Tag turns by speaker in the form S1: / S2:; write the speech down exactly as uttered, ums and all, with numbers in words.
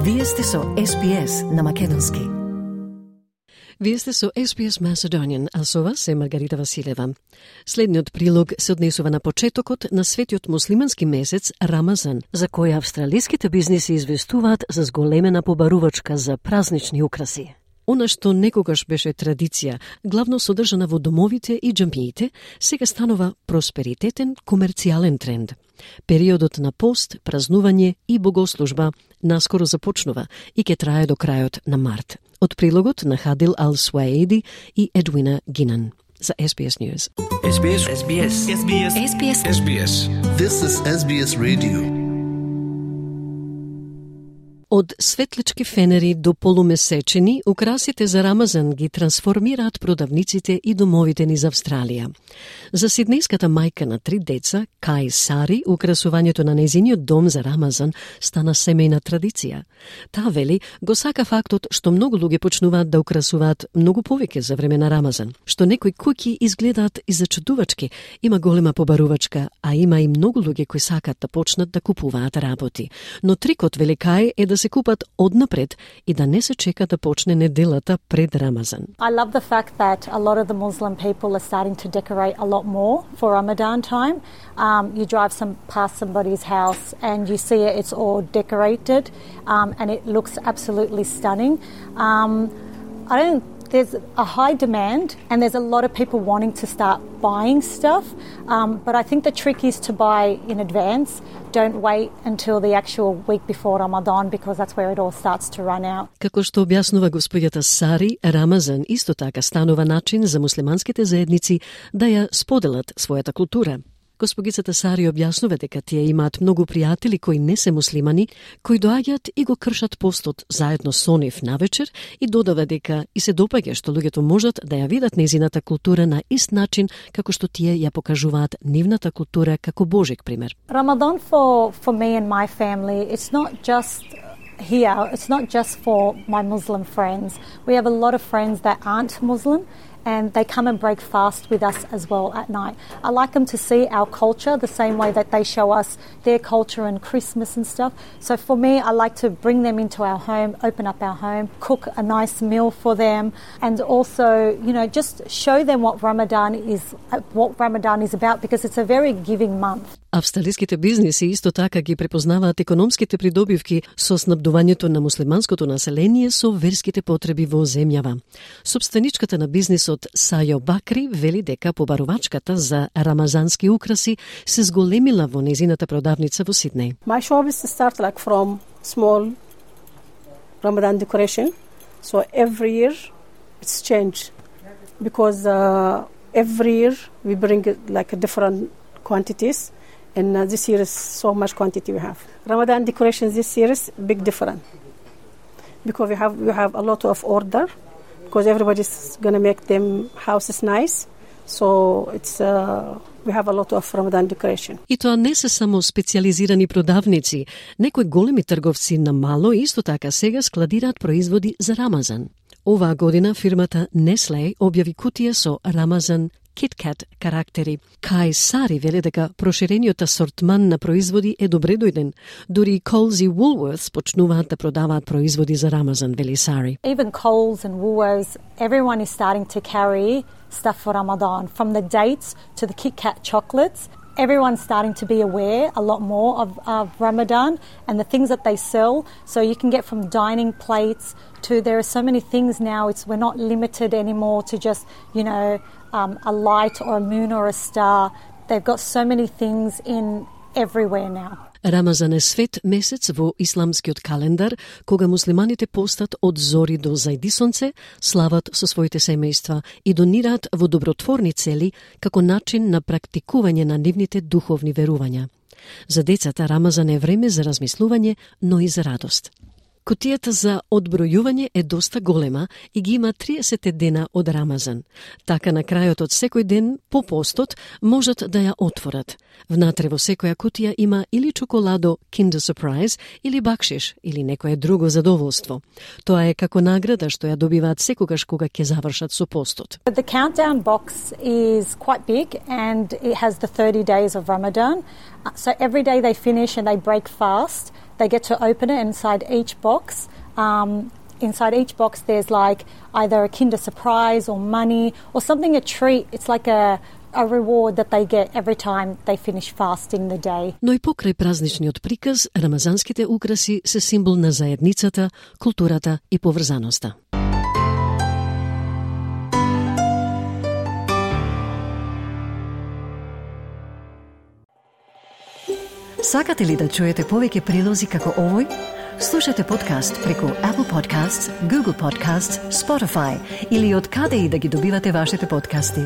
S1: Вие сте со Ес Би Ес на македонски.
S2: Вие сте со Ес Би Ес Macedonian, а со вас е Маргарита Василева. Следниот прилог се однесува на почетокот на светиот муслимански месец Рамазан, за кој австралиските бизниси известуваат за зголемена побарувачка за празнични украси. Она што некогаш беше традиција, главно содржана во домовите и џамиите, сега станува просперитетен комерцијален тренд. Периодот на пост, празнување и богослужба наскоро започнува и ќе трае до крајот на март. Од прилогот на Хадил Ал-Суаеди и Едвина Гинан за Ес Би Ес News.
S3: Ес Би Ес. Ес Би Ес. Ес Би Ес.
S1: Ес Би Ес.
S3: Ес Би Ес.
S4: This is Ес Би Ес Radio.
S2: Од светлички фенери до полумесечени, украсите за Рамазан ги трансформираат продавниците и домовите низ Австралија. За сиднејската мајка на три деца, Кај Сари, украсувањето на нејзиниот дом за Рамазан стана семејна традиција. Таа вели, го сака фактот што многу луѓе почнуваат да украсуваат многу повеќе за време на Рамазан, што некои куќи изгледаат и зачудувачки, има голема побарувачка, а има и многу луѓе кои сакаат да почнат да купуваат работи. Но трикот, вели Кај, е да се купат однапред и да не се чека да почне неделата пред Рамазан.
S5: I love the fact that a lot of the Muslim people are starting to decorate a lot more for Ramadan time. Um, you drive some past somebody's house and you see it, it's all decorated um, and it looks absolutely stunning. Um, I don't There's a high demand and there's a lot of people wanting to start buying stuff, um, but I think the trick is to buy in advance. Don't wait until the actual week before Ramadan because that's where it all starts to run out.
S2: Како што објаснува господјата Сари, Рамазан исто така станува начин за муслиманските заедници да ја споделат својата култура. Госпогицата Сари објаснува дека тие имаат многу пријатели кои не се муслимани, кои доаѓаат и го кршат постот заедно со нив навечер и додава дека и се допаѓа што луѓето можат да ја видат незината култура на ист начин како што тие ја покажуваат нивната култура како Божик пример.
S5: Ramadan for for me and my family, it's not just here, it's not just for my Muslim friends. We have a lot of friends that aren't Muslim and they come and break fast with us as well at night. I like them to see our culture the same way that they show us their culture and Christmas and stuff. So for me, I like to bring them into our home, open up our home, cook a nice meal for them, and also, you know, just show them what Ramadan is, what Ramadan is about, because it's a very giving month.
S2: Австралиските бизниси исто така ги препознаваат економските придобивки со снабдувањето на муслиманското население со верските потреби во земјава. Собственичката на бизнисот Сајо Бакри вели дека побарувачката за рамазански украси се зголемила во незината продавница во Сиднеј.
S6: My shop is start like from small Ramadan decoration, so every year it's changed because uh, every year we bring like a different quantities. And uh, this year is so much quantity we have. Ramadan decorations this year is big different because we have we have a lot of order because everybody's gonna make them houses nice. So it's uh, we have a lot of Ramadan decoration.
S2: И тоа не се само специализирани продавници, некои големи трговци на мало исто така сега складираат производи за Рамазан. Оваа година фирмата Nestle објави кутија со Рамазан KitKat карактери. Кај Сари вели дека проширениот асортман на производи е добре дојден. Дури и Coles и Woolworths почнуваат да продаваат производи за Рамазан, вели Сари.
S5: Even Coles and Woolworths, everyone is starting to carry stuff for Ramadan, from the dates to the KitKat chocolates. Everyone's starting to be aware a lot more of, of Ramadan and the things that they sell. So you can get from dining plates to, there are so many things now, it's we're not limited anymore to just, you know, um, a light or a moon or a star. They've got so many things in everywhere now.
S2: Рамазан е свет месец во исламскиот календар, кога муслиманите постат од зори до зајди сонце, слават со своите семејства и донираат во добротворни цели како начин на практикување на нивните духовни верувања. За децата Рамазан е време за размислување, но и за радост. Кутијата за одбројување е доста голема и ги има триесет дена од Рамазан. Така на крајот од секој ден по постот можат да ја отворат. Внатре во секоја кутија има или чоколадо Kinder Surprise, или бакшиш, или некое друго задоволство. Тоа е како награда што ја добиваат секогаш кога ќе завршат со постот.
S5: The countdown box is quite big and it has the thirty days of Ramadan. So every day they finish and they break fast, they get to open it. Inside each box, um, inside each box, there's like either a Kinder Surprise or money or something, a treat. It's like a a reward that they get every time they finish fasting the day.
S2: Но и покрај празничниот приказ, рамазанските украси се символ на заедницата, културата и поврзаноста.
S1: Сакате ли да чуете повеќе прилози како овој? Слушате подкаст преку Apple Podcasts, Google Podcasts, Spotify или од каде и да ги добивате вашите подкасти.